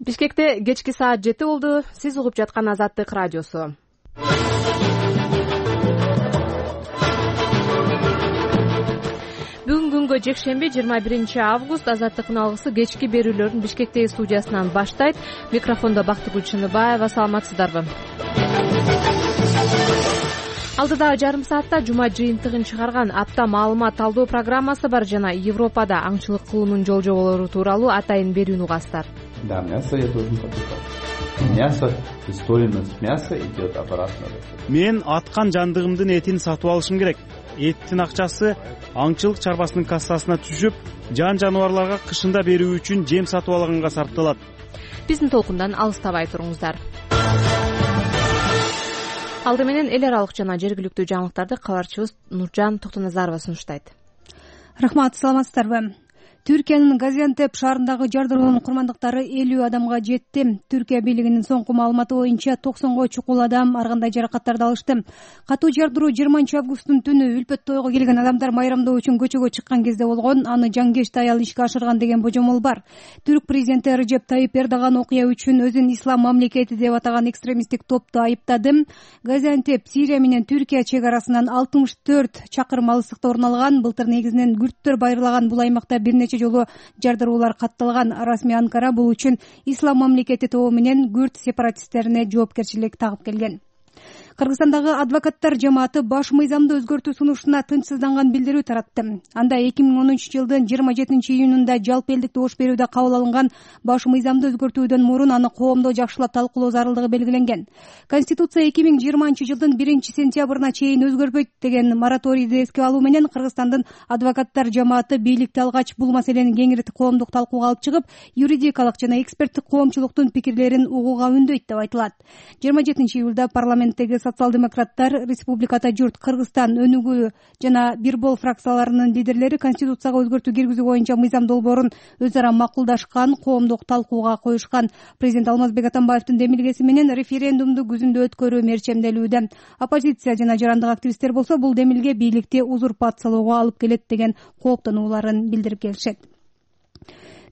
Бишкекте кечки саат 7 болду. Сиз угуп жаткан Азаттык радиосу. Бүгүнкү күнгө жекшемби 21 август Азаттыктын алгысы кечки берүүлөрүн Бишкектеги студиясынан баштайт. Микрофондо Бактыгүл Чыныбаева. Саламатсыздарбы? Алдыдагы жарым саатта жума жыйынтыгын чыгарган апта маалымат талдоо программасы бар жана Европада аңчылык кылуунун жол-жоболору тууралуу атайын берүүнү угасыздар. Да, мясо я должен покупать. Мясо, стоимость мяса идет обратно. Мен аткан жандыгымдын этин сатып алышым керек. Эттин акчасы аңчылык чарбасынын кассасына түшүп, жан-жаныбарларга кышында берүү үчүн жем сатып алганга сарпталат. Биздин толкундан алыстабай туруңуздар. Алды менен эл аралык жана жергиликтүү жаңылыктарды кабарчыбыз Нуржан Токтоназарова сунуштайт. Рахмат, саламатсыздарбы? Түркиянын Газиантеп шаарындагы жардыроонун курмандыктары 50 адамга жетти. Түркия бийлигинин соңку маалыматы боюнча 90го чукул адам ар кандай жаракаттарды алышты. Катуу жардыроо 20 августтун түнү үлпөт тойго келген адамдар майрамдоо үчүн көчөгө чыккан кезде болгон. Аны жаңкечти аял ишке ашырган деген божомол бар. Түрк президенти Режеп Тайип Эрдоган окуя үчүн өзүн ислам мамлекети деп атаган экстремисттик топту айыптады. Газиантеп Сирия менен Түркия чек арасынан 64 чакырым алыстыкта орун алган. Былтыр негизинен күрттөр байырлаган бул аймакта бир нече жолу жардыроолор катталган. Расмий Анкара бул үчүн ислам мамлекети тобу менен күрт сепаратисттерине жоопкерчилик тагып келген. Кыргызстандагы адвокаттар жамааты баш мыйзамды өзгөртүү сунушуна тынчсызданган билдирүү таратты. Анда 2013-жылдын 27-июнунда жалпы элдик добуш берүүдө кабыл алынган баш мыйзамды өзгөртүүдөн мурун аны коомдо жакшылап талкуулоо зарылдыгы белгиленген. Конституция 2020-жылдын 1-сентябрына чейин өзгөрбөйт деген мораторийди эске алуу менен Кыргызстандын адвокаттар жамааты бийликти алгач бул маселени кеңири коомдук талкууга алып чыгып, юридикалык жана эксперттик коомчулуктун пикирлерин угууга үндөйт деп айтылат. 27-июлда парламенттеги социал-демократтар, республикада журт, Кыргызстан, Өнүгүү жана Бирбол фракцияларынын лидерлери конституцияга өзгөртүү киргизүү боюнча мыйзам долбоорун өз ара макулдашкан, коомдук талкууга коюшкан. Президент Алмазбек Атамбаевдин демилгеси менен референдумду күзүндө өткөрүү мерчемделүүдө. Оппозиция жана жарандык активисттер болсо бул демилге бийликти узурпациялоого алып келет деген кооптонууларын билдирип келишет.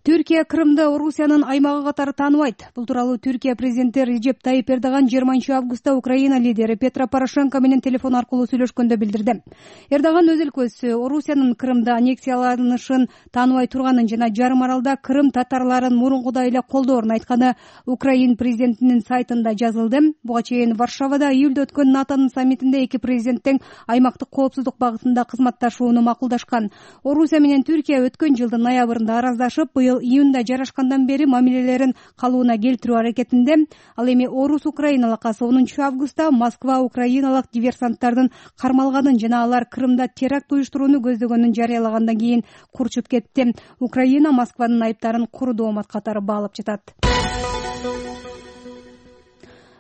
Түркия Крымды Орусиянын аймагы катары тааныбайт. Бул тууралуу Түркия президенти Режеп Тайип Эрдоган 20 августта Украина лидери Петро Порошенко менен телефон аркылуу сүйлөшкөндө билдирди. Эрдоган өз өлкөсү Орусиянын Крымды аннексияланышын тааныбай турганын жана жарым аралда Крым татарларын мурункудай эле колдоорун айтканы Украин президентинин сайтында жазылды. Буга чейин Варшавада июлда өткөн НАТОнун саммитинде эки президент тең аймактык коопсуздук багытында кызматташууну макулдашкан. Орусия менен Түркия өткөн жылдын ноябрында араздашып, быйыл июнда жарашкандан бери мамилелерин калыбына келтирүү аракетинде. Ал эми Орус-Украина алакасы 10 августта Москва украиналык диверсанттардын кармалганын жана алар Крымда теракт уюштурууну көздөгөнүн жарыялагандан кийин курчуп кетти. Украина Москванын айыптарын куру доомат катары баалап жатат.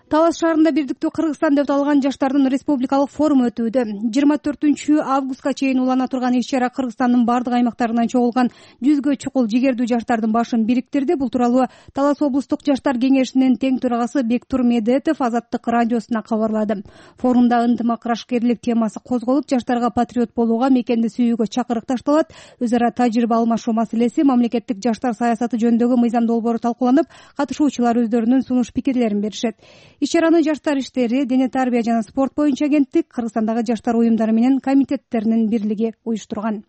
Талас шаарында бирдиктүү Кыргызстан деп аталган жаштардын республикалык форуму өтүүдө. 24 августка чейин улана турган иш-чара Кыргызстандын бардык аймактарынан чогулган 100гө чукул жигердүү жаштардын башын бириктирди. Бул тууралуу Талас облустук жаштар кеңешинин тең төрагасы Бектур Медетов Азаттык радиосуна кабарлады. Форумда ынтымак-рашкерлик темасы козголуп, жаштарга патриот болууга, мекенди сүйүүгө чакырык ташталат. Өз ара тажрыйба алмашуу маселеси, мамлекеттик жаштар саясаты жөнүндөгү мыйзам долбоору талкууланып, катышуучулар өздөрүнүн сунуш пикирлерин беришет. Иш-чараны жаштар иштери, дене тарбия жана спорт боюнча агенттик, Кыргызстандагы жаштар уюмдары менен комитеттеринин бирлиги уюштурган.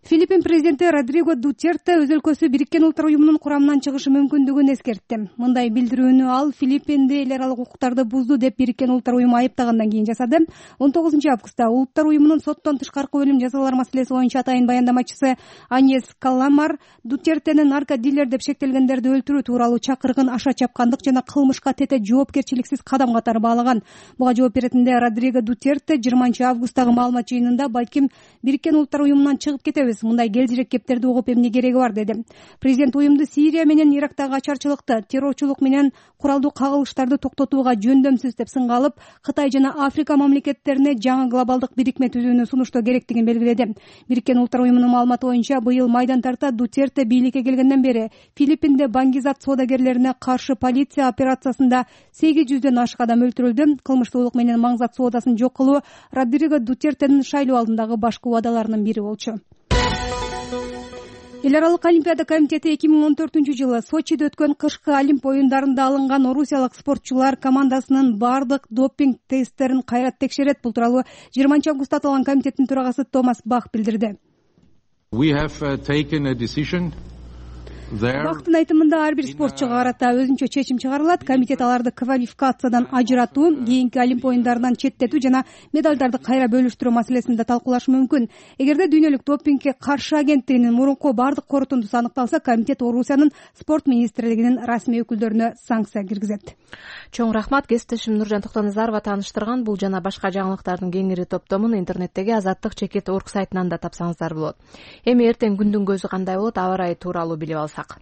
Филиппин президенти Родриго Дутерте өз өлкөсү Бириккен Улуттар уюмунун курамынан чыгышы мүмкүндүгүн эскертти. Мындай билдирүүнү ал Филиппинди эл аралык укуктарды бузду деп Бириккен Улуттар уюму айыптагандан кийин жасады. 19 августта Улуттар уюмунун соттон тышкаркы өлүм жазалар маселеси боюнча атайын баяндамачысы Аньес Каламар Дутертенин наркодилер деп шектелгендерди өлтүрүү тууралуу чакырыгын аша чапкандык жана кылмышка тете жоопкерчиликсиз кадам катары баалаган. Буга жооп беретинде Родриго Дутерте 20 августтагы маалымат жыйынында балким Бириккен Улуттар уюмунан чыгып кетебиз, мындай келжирек кептерди угуп эмне кереги бар деди. Президент уюмду Сирия менен Ирактагы ачарчылыкты, террорчулук менен куралдуу кагылыштарды токтотууга жөндөмсүз деп сынга алып, Кытай жана Африка мамлекеттерине жаңы глобалдык бирикме түзүүнү сунуштоо керектигин белгиледи. Бириккен Улуттар уюмунун маалыматы боюнча быйыл майдан тарта Дутерте бийликке келгенден бери Филиппинде баңгизат соодагерлерине каршы полиция операциясында 800дөн ашык адам өлтүрүлдү. Кылмыштуулук менен маңзат соодасын жок кылуу Родриго Дутертенин шайлоо алдындагы башкы убадаларынын бири болчу. Эл аралык олимпиада комитети 2014-жылы Сочиде өткөн кышкы Олимп оюндарында алынган орусиялык спортчулар командасынын бардык допинг тесттерин кайра текшерет. Бул тууралуу 20-августта аталган комитеттин төрагасы Томас Бах билдирди. Бактын айтымында ар бир спортчуга карата өзүнчө чечим чыгарылат. Комитет аларды квалификациядан ажыратуу, кийинки Олимп оюндарынан четтетүү жана медалдарды кайра бөлүштүрүү маселесин да талкуулашы мүмкүн. Эгерде дүйнөлүк допингге каршы агенттигинин мурунку бардык корутундусу аныкталса, комитет Орусиянын спорт министрлигинин расмий өкүлдөрүнө санкция киргизет. Чоң рахмат. Кесиптешим Нуржан Токтоназарова тааныштырган бул жана башка жаңылыктардын кеңири топтомун интернеттеги Азаттык-org сайтынан да тапсаңыздар болот. Эми эртең күндүн көзү кандай болот, аба ырайы тууралуу билип алсак.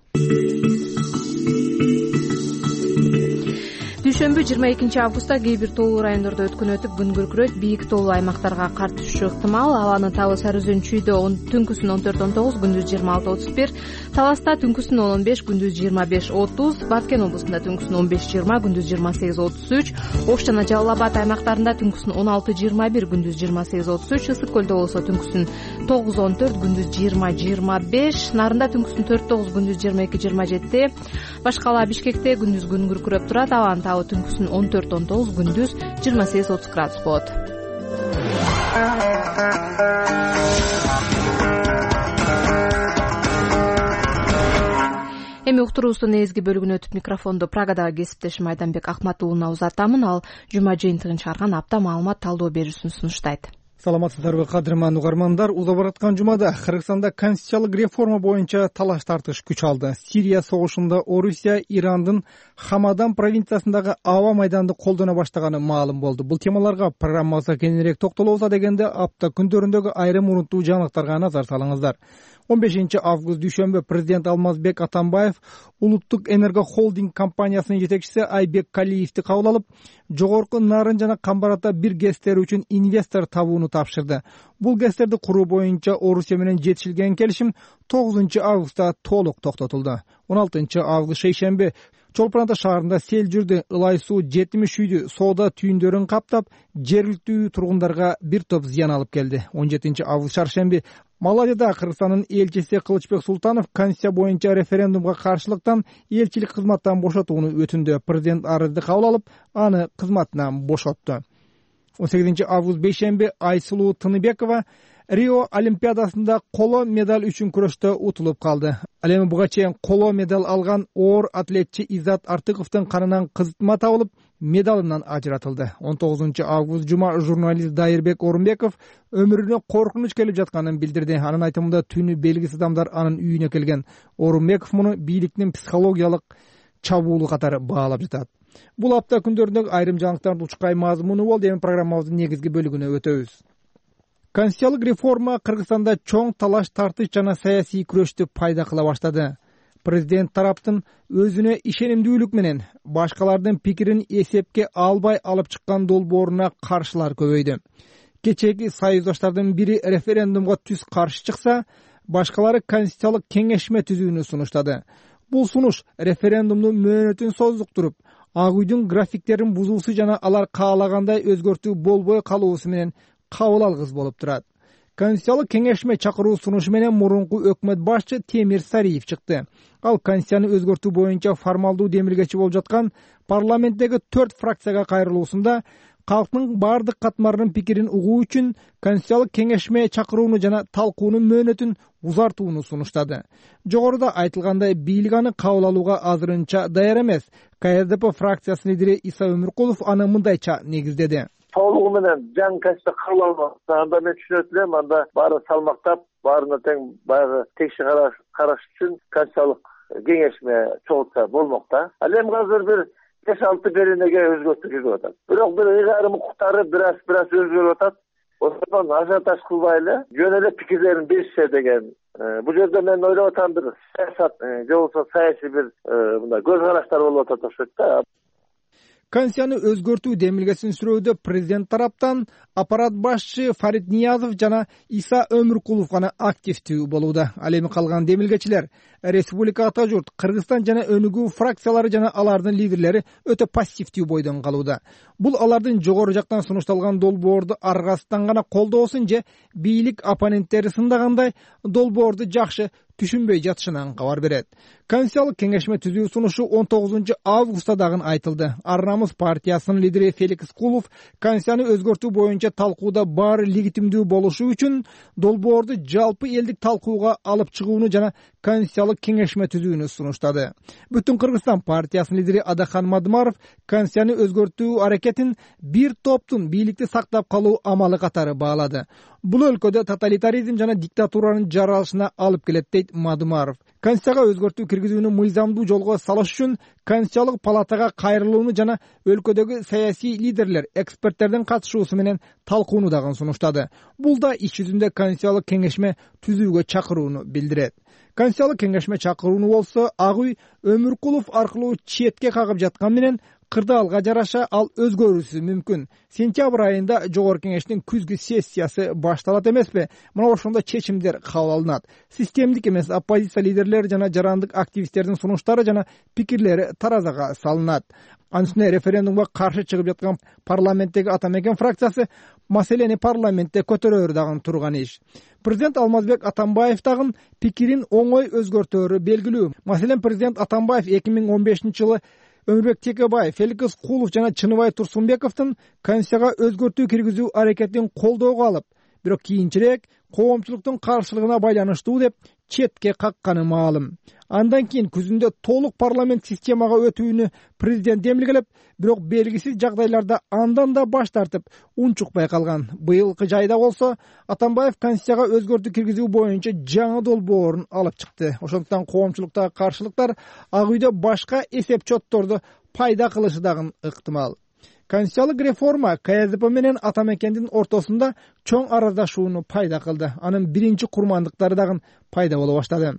Дүйшөмбү 22-августта кээ бир тоолуу райондордо өткөн өтүп күн күркүрөйт, бийик тоолуу аймактарга кар түшүшү ыктымал. Абанын табы сары өзөнчүйдө түнкүсүн 14-19, күндүз 26-31, Таласта түнкүсүн 15, күндүз 25-30, Баткен облусунда түнкүсүн 15-20, күндүз 28-33, Ош жана Жалал Абад аймактарында түнкүсүн 16-21, күндүз 28-33, Ысык көлдө болсо түнкүсүн 9-14, күндүз 20-25, Нарында түнкүсүн 4-9, күндүз 22-27, башкала Бишкекте күндүз күн күркүрөп турат, абанын табы түнкүсүн 14-19, күндүз 28-30 градус болот. Эми уктуруубуздун негизги бөлүгүнө өтүп микрофонду Прагадагы кесиптешим Айданбек Акматуулуна узатамын. Ал жума жыйынтыгын чыгарган апта маалымат талдоо берүүсүн сунуштайт. Саламатсыздарбы, кадырман угармандар. Уза бараткан жумада Кыргызстанда конституциялык реформа боюнча талаш тартыш күч алды. Сирия согушунда Орусия Ирандын Хамадан провинциясындагы аба майданды колдоно баштаганы маалым болду. Бул темаларга программабызда кененирээк токтолобуз дегенде апта күндөрүндөгү айрым урунттуу жаңылыктарга назар салыңыздар. 15-август дүйшөмбү президент Алмазбек Атамбаев улуттук энерго холдинг компаниясынын жетекчиси Айбек Калиевди кабыл алып, жогорку Нарын жана Камбарата бир ГЭСтери үчүн инвестор табууну тапшырды. Бул ГЭСтерди куруу боюнча Орусия менен жетишилген келишим 9-августта толук токтотулду. 16-август шейшемби Чолпон-Ата шаарында сел жүрдү. Ылай суу 70 үйдү, соода түйүндөрүн каптап, жергиликтүү тургундарга бир топ зыян алып келди. 17-август чаршемби Малайзияда Кыргызстандын элчиси Кылычбек Султанов конституция боюнча референдумга каршылыктан элчилик кызматтан бошотууну өтүндү. Президент арызды кабыл алып, аны кызматынан бошотту. 18-август бейшемби Айсулуу Тыныбекова Рио Олимпиадасында коло медаль үчүн күрөштө утулуп калды. Ал эми буга чейин коло медаль алган оор атлетчи Иззат Артыковдун канынан кызытма табылып, медалынан ажыратылды. 19-август жума журналист Дайырбек Орунбеков өмүрүнө коркунуч келип жатканын билдирди. Анын айтымында түнү белгисиз адамдар анын үйүнө келген. Орунбеков муну бийликтин психологиялык чабуулу катары баалап жатат. Бул апта күндөрүндөгү айрым жаңылыктардын учкай мазмуну болду. Эми программабыздын негизги бөлүгүнө өтөбүз. Конституциялык реформа Кыргызстанда чоң талаш тартыш жана саясий күрөштү пайда кыла баштады. Президент тараптын өзүнө ишенимдүүлүк менен башкалардын пикирин эсепке албай алып чыккан долбооруна каршылар көбөйдү. Кечеги союздаштардын бири референдумга түз каршы чыкса, башкалары конституциялык кеңешме түзүүнү сунуштады. Бул сунуш референдумдун мөөнөтүн создуктуруп, Ак үйдүн графиктерин бузуусу жана алар каалагандай өзгөртүү болбой калуусу менен кабыл алгыс болуп турат. Конституциялык кеңешме чакыруу сунушу менен мурунку өкмөт башчы Темир Сариев чыкты. Ал конституцияны өзгөртүү боюнча формалдуу демилгечи болуп жаткан парламенттеги 4 фракцияга кайрылуусунда калктын бардык катмарынын пикирин угуу үчүн конституциялык кеңешме чакырууну жана талкуунун мөөнөтүн узартууну сунуштады. Жогоруда айтылгандай, бийлик аны кабыл алууга азырынча даяр эмес. КСДП фракциясынын лидери Иса Өмүркулов аны мындайча негиздеди. Толугу менен жаңы конституция кабыл алынат. Анда мен түшүнөт элем, анда баары салмактап, баарына тең баягы текши караш үчүн конституциялык кеңешме чогултса болмок да. Ал эми азыр бир 5-6 беренеге өзгөртүү кирип атат. Бирок бир ыйгарым укуктары бир өзгөрүп атат. Ошондон ажиотаж кылбай эле жөн эле пикирлерин беришсе деген. Бул жерде мен ойлоп атам, бир саясат же болбосо саясий бир мындай көз караштар болуп атат окшойт да. Конституцияны өзгөртүү демилгесин сүрөөдө президент тараптан аппарат башчы Фарид Ниязов жана Иса Өмүркулов гана активдүү болууда. Ал эми калган демилгечилер Республика Ата журт, Кыргызстан жана Өнүгүү фракциялары жана алардын лидерлери өтө пассивдүү бойдон калууда. Бул алардын жогору жактан сунушталган долбоорду аргасынан гана колдоосун же бийлик оппоненттери сындагандай долбоорду жакшы түшүнбөй жатышынан кабар берет. Конституциялык кеңешме түзүү сунушу 19 августта дагы айтылды. Ар намыс партиясынын лидери Феликс Кулов конституцияны өзгөртүү боюнча талкууда баары легитимдүү болушу үчүн долбоорду жалпы элдик талкууга алып чыгууну жана конституциялык кеңешме түзүүнү сунуштады. Бүтүн Кыргызстан партиясынын лидери Адахан Мадымаров конституцияны өзгөртүү аракетин бир топтун бийликти сактап калуу амалы катары баалады. Бул өлкөдө тоталитаризм жана диктатуранын жаралышына алып келет, дейт Мадымаров. Конституцияга өзгөртүү киргизүүнү мыйзамдуу жолго салыш үчүн Конституциялык палатага кайрылууну жана өлкөдөгү саясий лидерлер, эксперттердин катышуусу менен талкууну дагы сунуштады. Бул да иш жүзүндө Конституциялык кеңешме түзүүгө чакырууну билдирет. Конституциялык кеңешме чакырууну болсо Ак үй Өмүркулов аркылуу четке кагып жаткан менен кырдаалга жараша ал өзгөрүүсү мүмкүн. Сентябрь айында жогорку кеңештин күзгү сессиясы башталат эмеспи? Мына ошондо чечимдер кабыл алынат. Системдик эмес оппозиция лидерлери жана жарандык активисттердин сунуштары жана пикирлери таразага салынат. Анын үстүнө референдумга каршы чыгып жаткан парламенттеги Ата Мекен фракциясы маселени парламентте көтөрөөрү дагы турган иш. Президент Алмазбек Атамбаев дагы пикирин оңой өзгөртөөрү белгилүү. Маселен, президент Атамбаев 2015 жылы Өмүрбек Текебаев, Феликс Кулов жана Чыныбай Турсунбековдун конституцияга өзгөртүү киргизүү аракетин колдоого алып, бирок кийинчерээк коомчулуктун каршылыгына байланыштуу деп четке какканы маалым. Андан кийин күзүндө толук парламент системага өтүүнү президент демилгелеп, бирок белгисиз жагдайларда андан да баш тартып, унчукпай калган. Быйылкы жайда болсо Атамбаев конституцияга өзгөртүү киргизүү боюнча жаңы долбоорун алып чыкты. Ошондуктан коомчулуктагы каршылыктар Ак үйдө башка эсеп чотторду пайда кылышы дагы ыктымал. Конституциялык реформа КСДП менен Ата Мекендин ортосунда чоң араздашууну пайда кылды. Анын биринчи курмандыктары дагы пайда боло баштады.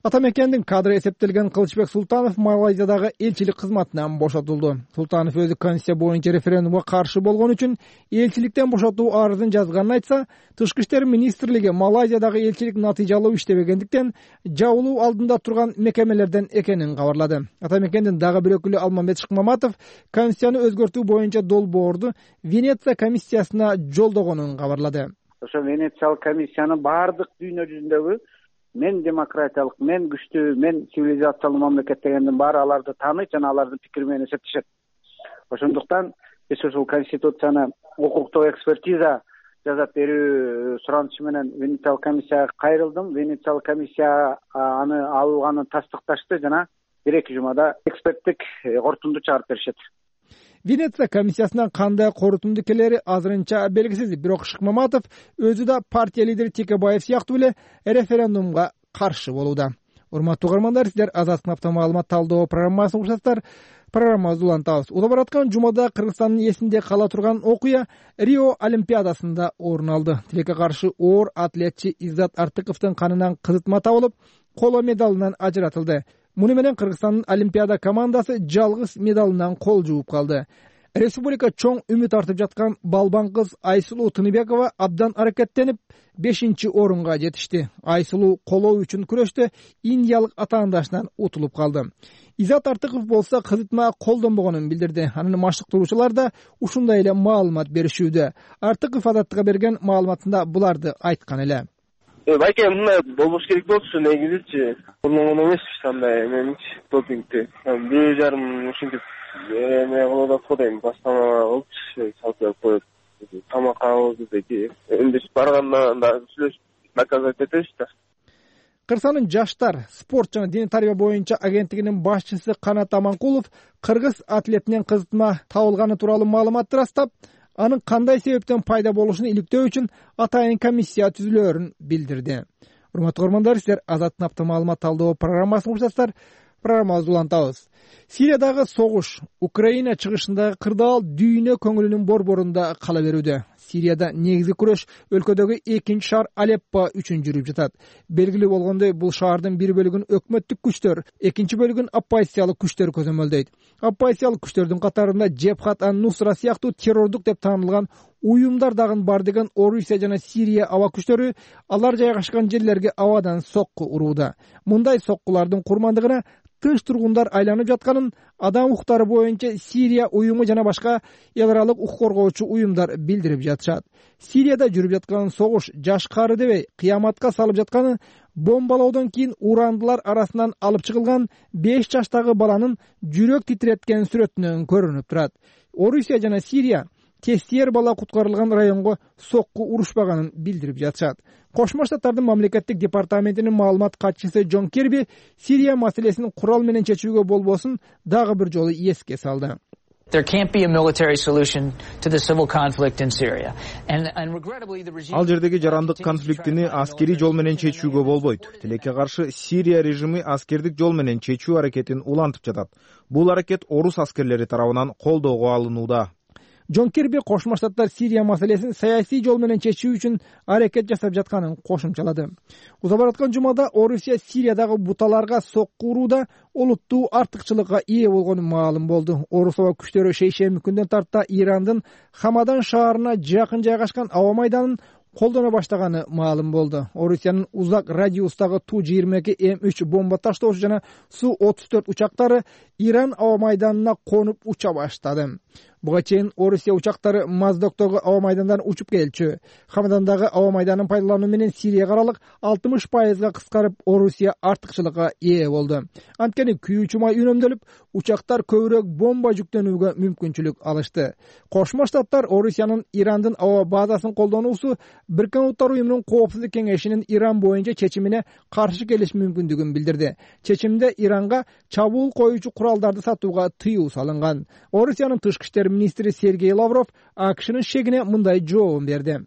Ата Мекендин кадры эсептелген Кылычбек Султанов Малайзиядагы элчилик кызматынан бошотулду. Султанов өзү конституция боюнча референдумга каршы болгон үчүн элчиликтен бошотуу арызын жазганын айтса, Тышкы иштер министрлиги Малайзиядагы элчилик натыйжалуу иштебегендиктен жабылуу алдында турган мекемелерден экенин кабарлады. Ата Мекендин дагы бир өкүлү Алмамбет Шыкмаматов конституцияны өзгөртүү боюнча долбоорду Венеция комиссиясына жолдогонун кабарлады. Ошо Венециялык комиссияны баардык дүйнө жүзүндөгү мен демократиялык, мен күчтүү, мен цивилизациялуу мамлекет дегендин баары аларды тааныйт жана алардын пикири менен эсептешет. Ошондуктан биз ушул конституцияны укуктук экспертиза жасап берүү суранычы менен Венециялык комиссияга кайрылдым. Венециялык комиссия аны алганын тастыкташты жана 1-2 жумада эксперттик корутунду чыгарып беришет. Венеция комиссиясынан кандай корутунду келери азырынча белгисиз, бирок Шыкмаматов өзү да партия лидери Текебаев сыяктуу эле референдумга каршы болууда. Урматтуу угармандар, сиздер Азаттык автомаалымат талдоо программасын угушасыздар. Программабызды улантабыз. Удап бараткан жумада Кыргызстандын эсинде кала турган окуя Рио Олимпиадасында орун алды. Тилекке каршы оор атлетчи Иззат Артыковдун канынан кызытма табылып, коло медалынан ажыратылды. Муну менен Кыргызстандын Олимпиада командасы жалгыз медалынан кол жууп калды. Республика чоң үмүт артып жаткан балбан кыз Айсулуу Тыныбекова абдан аракеттенип 5-орунга жетишти. Айсулуу колоо үчүн күрөштө индиялык атаандашынан утулуп калды. Иззат Артыков болсо кызытма колдонбогонун билдирди. Анын машыктыруучулары да ушундай эле маалымат беришүүдө. Артыков Азаттыкка берген маалыматында буларды айткан эле. Байке, мындай болбош керек болчу, негизичи колдонгон эмеспи андай меничи допингди. 1,5 ушинтип эме кылып атат го дейм, бастама болчу, салып коюп, тамак алып деги. Энди барганда да сүйлөшүп наказать этебиз да. Кыргызстандын жаштар, спорт жана дене тарбия боюнча агенттигинин башчысы Канат Аманкулов кыргыз атлетинен кызытма табылганы тууралуу маалыматты ырастап, анын кандай себептен пайда болушун иликтөө үчүн атайын комиссия түзүлөөрүн билдирди. Урматтуу көрөрмандар, сиздер Азаттык автомаалымат талдоо программасын угушасыздар. Программабызды улантабыз. Сириядагы согуш, Украина чыгышындагы кырдаал дүйнө көңүлүнүн борборунда кала берүүдө. Сирияда негизги күрөш өлкөдөгү 2 шаар Алеппо үчүн жүрүп жатат. Белгилүү болгондой, бул шаардын бир бөлүгүн өкмөттүк күчтөр, экинчи бөлүгүн оппозициялык күчтөр көзөмөлдөйт. Оппозициялык күчтөрдүн катарында Жебхат ан-Нусра сыяктуу террордук деп таанылган уюмдар дагы бар деген Орусия жана Сирия аба күчтөрү алар жайгашкан жерлерге абадан сокку урууда. Мындай соккулардын курмандыгына тынч тургундар айланып жатканын адам укуктары боюнча Сирия уюму жана башка эл аралык укук коргоочу уюмдар билдирип жатышат. Сирияда жүрүп жаткан согуш жашкары дебей кыяматка салып жатканы бомбалоодон кийин урандылар арасынан алып чыгылган 5 жаштагы баланын жүрөк титиреткен сүрөтүнөн көрүнүп турат. Орусия жана Сирия тестиер бала куткарылган районго сокку урушпаганын билдирип жатышат. Кошмо Штаттардын мамлекеттик департаментинин маалымат катчысы Джон Керби Сирия маселесин курал менен чечүүгө болбосун дагы бир жолу эске салды. There can't be a military solution to the civil conflict in Syria. And regrettably the regime Ал жердеги жарандык конфликтини аскерий жол менен чечүүгө болбойт. Тилекке каршы Сирия режими аскердик жол менен чечүү аракетин улантып жатат. Бул аракет орус аскерлери тарабынан колдоого алынууда. Джон Керби Кошмо Штаттар Сирия маселесин саясий жол менен чечүү үчүн аракет жасап жатканын кошумчалады. Уза бараткан жумада Орусия Сириядагы буталарга сокку урууда олуттуу артыкчылыкка ээ болгону маалым болду. Орус аба күчтөрү шейшемби күндөн тарта Ирандын Хамадан шаарына жакын жайгашкан аба майданын колдоно баштаганы маалым болду. Орусиянын узак радиустагы Ту-22 М3 бомба таштоочу жана Су-34 учактары Иран аба майданына конуп уча баштады. Буга чейин Орусия учактары Моздоктогу аба майдандан учуп келчү. Хамадандагы аба майданын пайдалануу менен Сирияга аралык 60% кыскарып, Орусия артыкчылыкка ээ болду. Анткени күйүүчү май үнөмдөлүп, учактар көбүрөөк бомба жүктөнүүгө мүмкүнчүлүк алышты. Кошмо Штаттар Орусиянын Ирандын аба базасын колдонуусу Бириккен Улуттар уюмунун Коопсуздук кеңешинин Иран боюнча чечимине каршы келиш мүмкүндүгүн билдирди. Чечимде Иранга чабуул коюучу куралдарды сатууга тыюу салынган. Орусиянын тышкы иштер министри Сергей Лавров АКШнын шегине мындай жообун берди.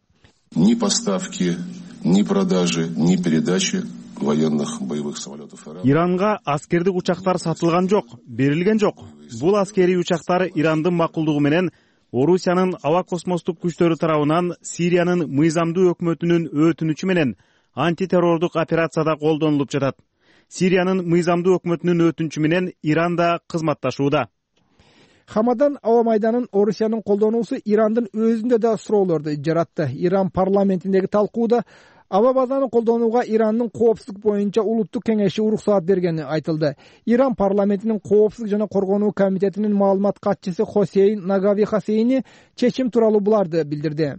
Ни поставки, ни продажи, ни передачи военных боевых самолетов Иранга аскердик учактар сатылган жок, берилген жок. Бул аскерий учактар Ирандын макулдугу менен Орусиянын аба космостук күчтөрү тарабынан Сириянын мыйзамдуу өкмөтүнүн өтүнүчү менен антитеррордук операцияда колдонулуп жатат. Сириянын мыйзамдуу өкмөтүнүн өтүнүчү менен Иран да кызматташууда. Хамадан аба майданын Орусиянын колдонуусу Ирандын өзүндө да суроолорду жаратты. Иран парламентиндеги талкууда аба базаны колдонууга Ирандын коопсуздук боюнча улуттук кеңеши уруксаат бергени айтылды. Иран парламентинин коопсуздук жана коргонуу комитетинин маалымат катчысы Хосейн Нагави Хасейни чечим тууралуу буларды билдирди.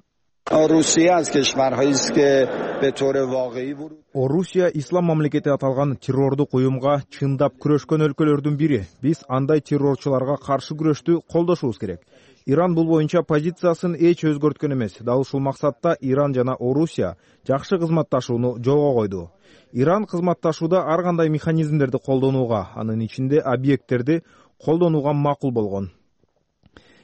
Орусия ислам мамлекети аталган террордук уюмга чындап күрөшкөн өлкөлөрдүн бири. Биз андай террорчуларга каршы күрөштү колдошубуз керек. Иран бул боюнча позициясын эч өзгөрткөн эмес. Дал ушул максатта Иран жана Орусия жакшы кызматташууну жолго койду. Иран кызматташууда ар кандай механизмдерди колдонууга, анын ичинде объекттерди колдонууга макул болгон.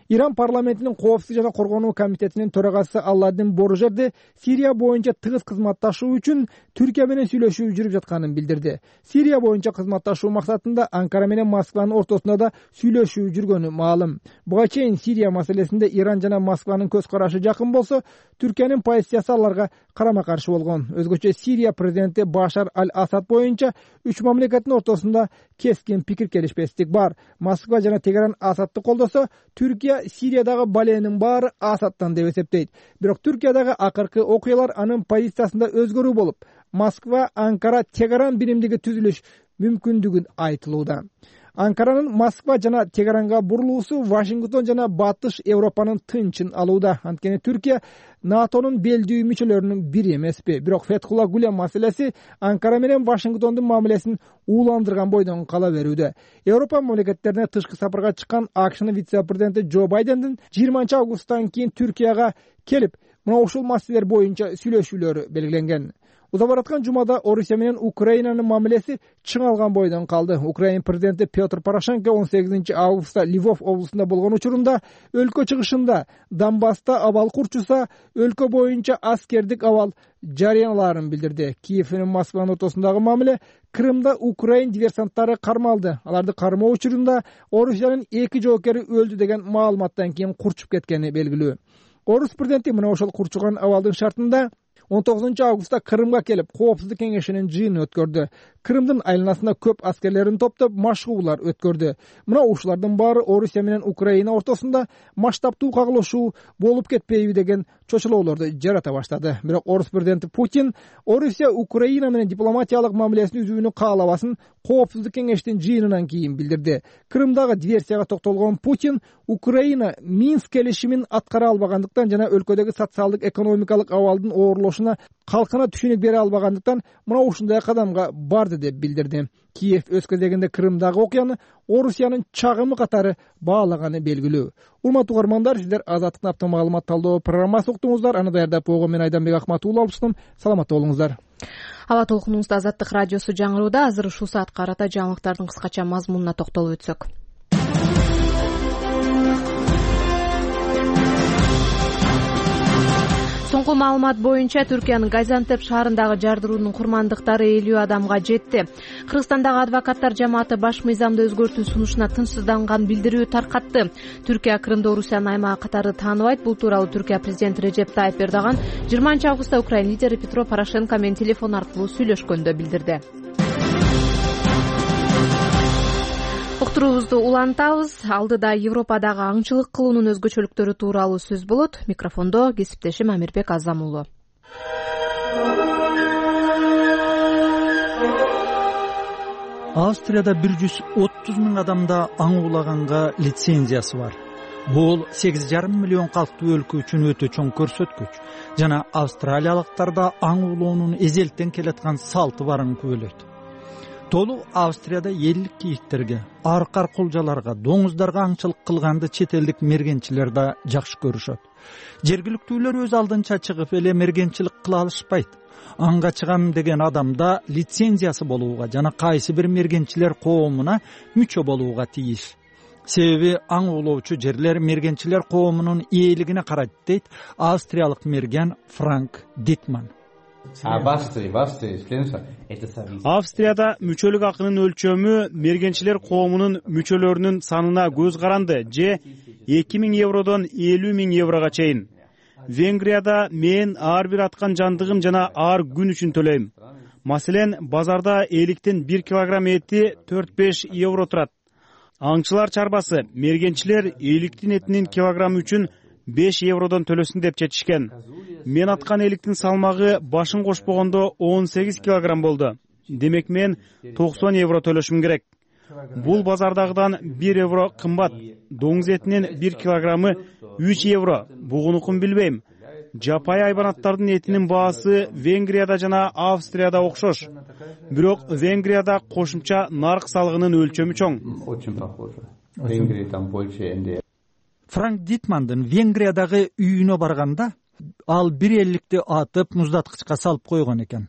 Иран парламентинин коопсуздук жана коргонуу комитетинин төрагасы Алладин Боржерди Сирия боюнча тыгыз кызматташуу үчүн Түркия менен сүйлөшүү жүрүп жатканын билдирди. Сирия боюнча кызматташуу максатында Анкара менен Москванын ортосунда да сүйлөшүү жүргөнү маалым. Буга чейин Сирия маселесинде Иран жана Москванын көз карашы жакын болсо, Түркиянын позициясы аларга карама каршы болгон. Өзгөчө Сирия президенти Башар аль-Асад боюнча үч мамлекеттин ортосунда кескин пикир келишпестик бар. Москва жана Тегеран Асадты колдосо, Түркия Сириядагы баленин баары Асадтан деп эсептейт. Бирок Түркиядагы акыркы окуялар анын позициясында өзгөрүү болуп, Москва, Анкара, Тегеран биримдиги түзүлүш мүмкүндүгүн айтылууда. Анкаранын Москва жана Тегеранга бурулуусу Вашингтон жана Батыш Европанын тынчын алууда. Анткени Түркия НАТОнун белдүү мүчөлөрүнүн бири эмеспи. Бирок Фетхулла Гулен маселеси Анкара менен Вашингтондун мамилесин ууландырган бойдон кала берүүдө. Европа мамлекеттерине тышкы сапарга чыккан АКШнын вице-президенти Джо Байдендин 20 августтан кийин Түркияга келип, мына ушул маселелер боюнча сүйлөшүүлөр белгиленген. Уза бараткан жумада Орусия менен Украинанын мамилеси чыңалган бойдон калды. Украин президенти Петр Порошенко 18 августта Львов облусунда болгон учурунда өлкө чыгышында Донбасста абал курчуса, өлкө боюнча аскердик абал жарыялаарын билдирди. Киев менен Москванын ортосундагы мамиле Крымда Украин диверсанттары кармалды. Аларды кармоо учурунда Орусиянын 2 жоокери өлдү деген маалыматтан кийин курчуп кеткени белгилүү. Орус президенти мына ошол курчуган абалдын шартында 19 августта Крымга келип, Коопсуздук кеңешинин жыйынын өткөрдү. Крымдын айланасына көп аскерлерин топтоп машыгуулар өткөрдү. Мына ушулардын баары Орусия менен Украина ортосунда масштабтуу кагылышуу болуп кетпейби деген чочулоолорду жарата баштады. Бирок Орус президенти Путин Орусия Украина менен дипломатиялык мамилесин үзүүнү каалабасын Коопсуздук кеңештин жыйынынан кийин билдирди. Крымдагы диверсияга токтолгон Путин Украина Минск келишимин аткара албагандыктан жана өлкөдөгү социалдык экономикалык абалдын оорлошуна калкына түшүнүк бере албагандыктан мына ушундай кадамга барды деп билдирди. Киев өз кезегинде Крымдагы окуяны Орусиянын чагымы катары баалаганы белгилүү. Урматтуу угармандар, сиздер Азаттыктын автомат маалымат талдоо программасын уктуңуздар. Аны даярдап койгон мен Айданбек Акматуулла алыптым. Саламатта болуңуздар. Аба толкунубузда Азаттык радиосу жаңырууда. Азыр ушул саатка карата жаңылыктардын кыскача мазмунуна токтолуп өтсөк. Соңку маалымат боюнча Түркиянын Газиантеп шаарындагы жардыруунун курмандыктары 50 адамга жетти. Кыргызстандагы адвокаттар жамааты баш мыйзамды өзгөртүү сунушуна тынчсызданган билдирүү таркатты. Түркия Крымды Орусиянын аймагы катары тааныбайт. Бул тууралуу Түркия президенти Режеп Тайип Эрдоган 20-августта Украина лидери Петро Порошенко менен телефон аркылуу сүйлөшкөндө билдирди. Уктуруубузду улантабыз. Алдыда Европадагы аңчылык кылуунун өзгөчөлүктөрү тууралуу сөз болот. Микрофондо кесиптешим Амирбек Азамулу. Австрияда 130 миң адамда аң уулаганга лицензиясы бар. Бул 8,5 миллион калктуу өлкө үчүн өтө чоң көрсөткүч. Жана австралиялыктарда аң уулоонун эзелтен келаткан салты барын күбөлөйт. Толу Австрияда элдик кийиктерге, аркар кулжаларга, доңуздарга аңчылык кылганды чет элдик мергенчилер да жакшы көрүшөт. Жергиликтүүлөр өз алдынча чыгып эле мергенчилик кыла алышпайт. Аңга чыгам деген адамда лицензиясы болууга жана кайсы бир мергенчилер коомуна мүчө болууга тийиш. Себеби аң уулоочу жерлер мергенчилер коомунун ээлигине карайт, дейт австриялык мерген Франк Дитман. Австрияда мүчөлүк акынын өлчөмү мергенчилер коомунун мүчөлөрүнүн санына көз каранды же 2000 евродон 50 000 еврого чейин. Венгрияда мен ар бир аткан жандыгым жана ар күн үчүн төлөйм. Маселен, базарда эликтин 1 килограмм эти 4-5 евро турат. Аңчылар чарбасы мергенчилер эликтин этинин килограммы үчүн 5 евродон төлөсүн деп чечишкен. Мен аткан эликтин салмагы башын кошпогондо 18 килограмм болду. Демек мен 90 евро төлөшүм керек. Бул базардагыдан 1 евро кымбат. Доңуз этинин 1 килограммы 3 евро. Бугунукун билбейм. Жапай айбанаттардын этинин баасы Венгрияда жана Австрияда окшош. Бирок Венгрияда кошумча нарк салыгынын өлчөмү чоң. Очень похоже. Венгрия там больше НДС. Франк Дитмандын Венгриядагы үйүнө барганда ал 1 элликти атып муздаткычка салып койгон экен.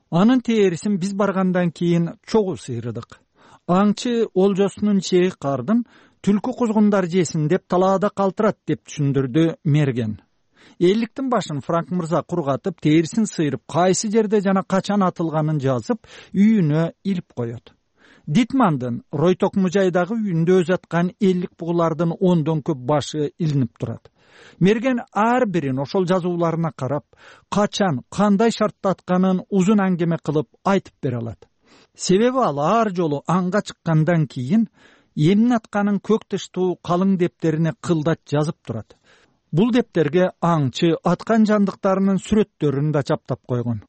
Анын терисин биз баргандан кийин чогуу сыйрыдык. Аңчы олжосунун чеги кардын түлкү кузгундар жесин деп талаада калтырат деп түшүндүрдү мерген. Элликтин башын Франк мырза кургатып, терисин сыйрып, кайсы жерде жана качан атылганын жазып, үйүнө илип коет. Дитмандын Ройток мужайдагы үйүндө өз аткан эллик бугулардын 10дон көп башы илинип турат. Мерген ар бирин ошол жазууларына карап, качан, кандай шартта атканын узун аңгеме кылып айтып бере алат. Себеби ал ар жолу аңга чыккандан кийин эмне атканын көк тыштуу калың дептерине кылдат жазып турат. Бул дептерге аңчы аткан жандыктарынын сүрөттөрүн да чаптап койгон.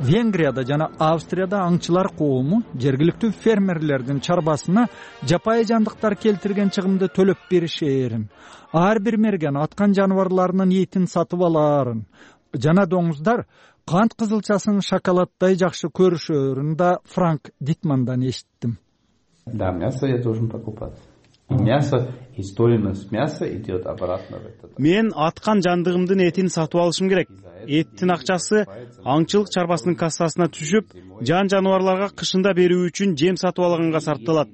Венгрияда жана Австрияда аңчылар коому жергиликтүү фермерлердин чарбасына жапайы жандыктар келтирген чыгымды төлөп беришээрин, ар бир мерген аткан жаныбарларынын этин сатып алаарын жана доңуздар кант кызылчасын шоколаддай жакшы көрүшөрүн да Франк Дитмандан эшиттим. Да, мясо я должен покупать. Мясо, и стоимость мяса идет обратно в этот. Мен аткан жандыгымдын этин сатып алышым керек. Эттин акчасы аңчылык чарбасынын кассасына түшүп, жан-жаныбарларга кышында берүү үчүн жем сатып алганга сарпталат.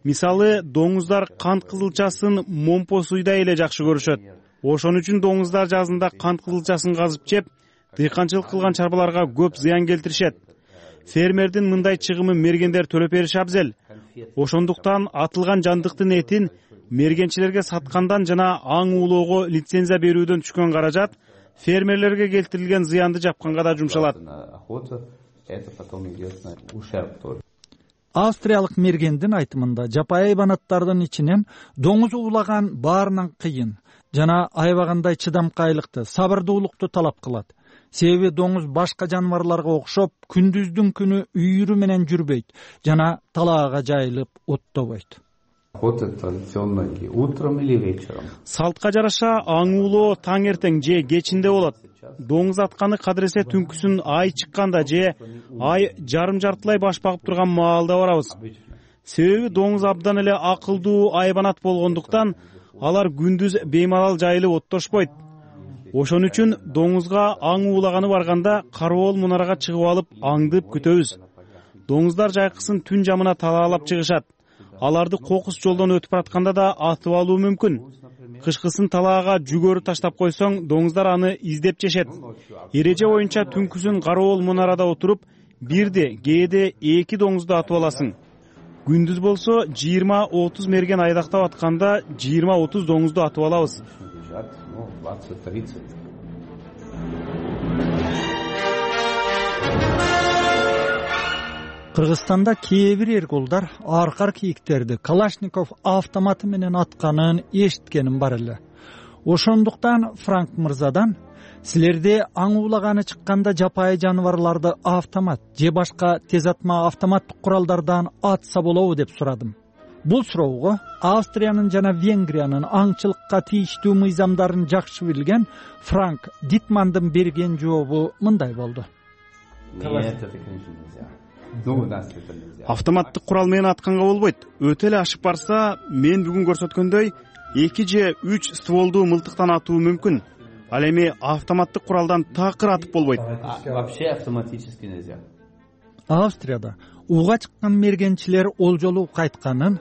Мисалы, доңуздар кант кызылчасын момпо суйдай эле жакшы көрүшөт. Ошон үчүн доңуздар жазында кант кызылчасын казып жеп, дыйканчылык кылган чарбаларга көп зыян келтиришет. Фермердин мындай чыгымы мергендер төлөп бериши абзел. Ошондуктан атылган жандыктын этин мергенчилерге саткандан жана аң уулоого лицензия берүүдөн түшкөн каражат фермерлерге келтирилген зыянды жапканга да жумшалат. Австриялык мергендин айтымында жапайы айбанаттардын ичинен доңуз уулаган баарынан кыйын жана аябагандай чыдамкайлыкты, сабырдуулукту талап кылат. Себеби доңуз башка жаныбарларга окшоп күндүздүн күнү үйүрү менен жүрбөйт жана талаага жайылып оттобойт. Салтка жараша аң уулоо таң эртең же кечинде болот. Доңуз атканы кадыресе түнкүсүн ай чыкканда же ай жарым жартылай баш багып турган маалда барабыз. Себеби доңуз абдан эле акылдуу айбанат болгондуктан алар күндүз беймалал жайылып оттошпойт. Ошон үчүн доңузга аң уулаганы барганда кароол мунарага чыгып алып аңдып күтөбүз. Доңуздар жайкысын түн жамына талаалап чыгышат. Аларды кокус жолдон өтүп баратканда да атып алуу мүмкүн. Кышкысын талаага жүгөрү таштап койсоң, доңуздар аны издеп жешет. Эреже боюнча түнкүсүн кароол мунарада отуруп, бирде, кээде 2 доңузду атып аласың. Күндүз болсо 20-30 мерген айдактап атканда 20-30 доңузду атып алабыз. Кыргызстанда кээ бир эрголдар аркар кийиктерди Калашников автоматы менен атканын эшиткеним бар эле. Ошондуктан Франк мырзадан силерде аң уулаганы чыкканда жапайы жаныбарларды автомат же башка тез атма автоматтык куралдардан атса болобу деп сурадым. Бул суроого Австриянын жана Венгриянын аңчылыкка тийиштүү мыйзамдарын жакшы билген Франк Дитмандын берген жообу мындай болду. Автоматтык курал менен атканга болбойт. Өтө эле ашып барса, мен бүгүн көрсөткөндөй 2 же 3 стволдуу мылтыктан атуу мүмкүн. Ал эми автоматтык куралдан такыр атып болбойт. Вообще автоматически нельзя. Австрияда ууга чыккан мергенчилер олжолуу кайтканын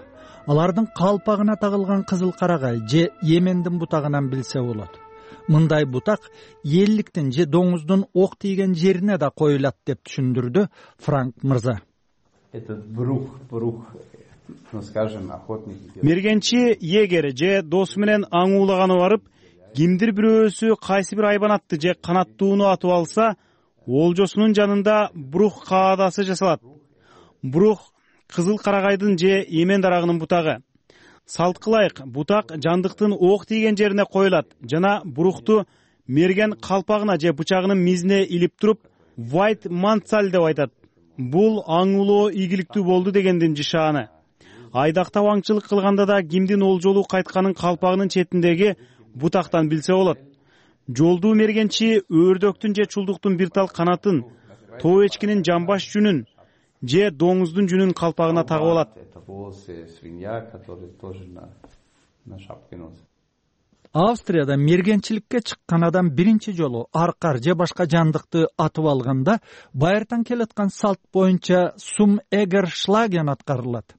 алардын калпагына тагылган кызыл карагай же Йемендин бутагынан билсе болот. Мындай бутак элликтин же доңуздун ок тийген жерине да коюлат деп түшүндүрдү Франк мырза. Мергенчи егер же досу менен аң уулаганы барып, кимдир бирөөсү кайсы бир айбанатты же канаттууну атып алса, олжосунун жанында брух каадасы жасалат. Брух кызыл карагайдын же эмен дарагынын бутагы. Салт кылайык, бутак жандыктын ок тийген жерине коюлат жана брухту мерген калпагына же бычагынын мизине илип туруп, white mantsal деп айтат. Бул аң уулоо ийгиликтүү болду дегендин жишааны. Айдактап аңчылык кылганда да кимдин олжолуу кайтканын калпагынын четиндеги бутактан билсе болот. Жолдуу мергенчи өрдөктүн же чулдуктун бир тал канатын, тоо эчкинин жамбаш жүнүн же доңуздун жүнүн калпагына тагып алат. Австрияда мергенчиликке чыккан адам биринчи жолу аркар же башка жандыкты атып алганда байыртан келаткан салт боюнча сум эгершлаген аткарылат.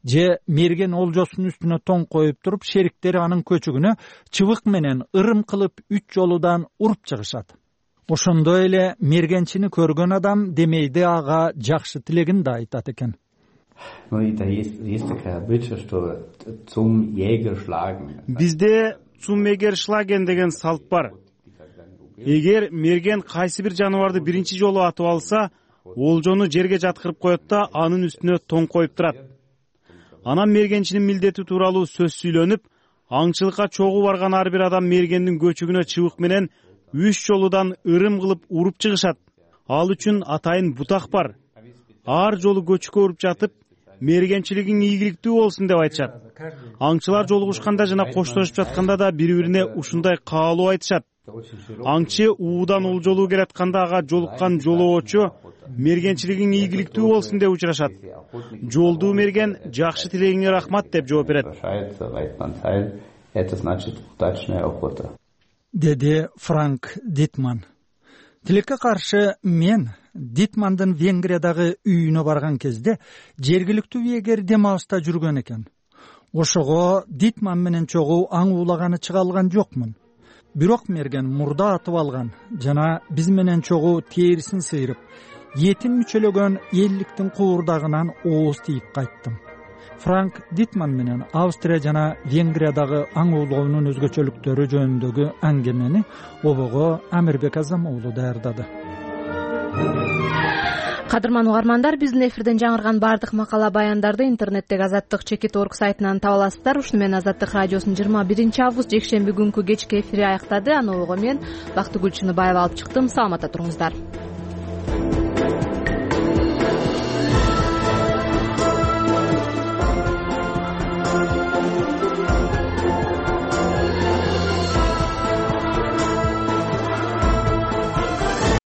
Же мерген олжосунун үстүнө тоң коюп туруп, шериктери анын көчүгүнө чыбык менен ырым кылып 3 жолудан уруп чыгышат. Ошондой эле мергенчини көргөн адам демейди ага жакшы тилегин да айтат экен. Бизде цумегершлаген деген салт бар. Эгер мерген кайсы бир жаныбарды биринчи жолу атып алса, олжону жерге жаткырып коет да анын үстүнө тоң коюп турат. Анан мергенчинин милдети тууралуу сөз сүйлөнүп, аңчылыкка чогуу барган ар бир адам мергендин көчүгүнө чыбык менен 3 жолудан ырым кылып уруп чыгышат. Ал үчүн атайын бутак бар. Ар жолу көчүккө уруп жатып, мергенчилигиң ийгиликтүү болсун деп айтышат. Аңчылар жолугушканда жана коштошуп жатканда да бири-бирине ушундай каалоо айтышат. Аңчы уудан олжолуу келатканда ага жолуккан жолоочу мергенчилигиң ийгиликтүү болсун деп учурашат. Жолдуу мерген жакшы тилегиңе рахмат деп жооп берет. Деди Франк Дитман. Тилекке каршы мен Дитмандын Венгриядагы үйүнө барган кезде жергиликтүү эгер дем алышта жүргөн экен. Ошого Дитман менен чогуу аң уулаганы чыга алган жокмун. Бирок мерген мурда атып алган жана биз менен чогуу терисин сыйрып, этин мүчөлөгөн элликтин куурдагынан ооз тийип кайттым. Франк Дитман менен Австрия жана Венгриядагы аң уулоонун өзгөчөлүктөрү жөнүндөгү аңгемени обого Амирбек Азам уулу даярдады. Кадырман угармандар, биздин эфирден жаңырган баардык макала баяндарды интернеттеги Азаттык Чекит.org сайтынан таба аласыздар. Ушуну менен Азаттык радиосунун 21-август жекшемби күнкү кечки эфири аяктады. Аны ого мен Бактыгүл Чыныбаева алып чыктым. Саламатта туруңуздар.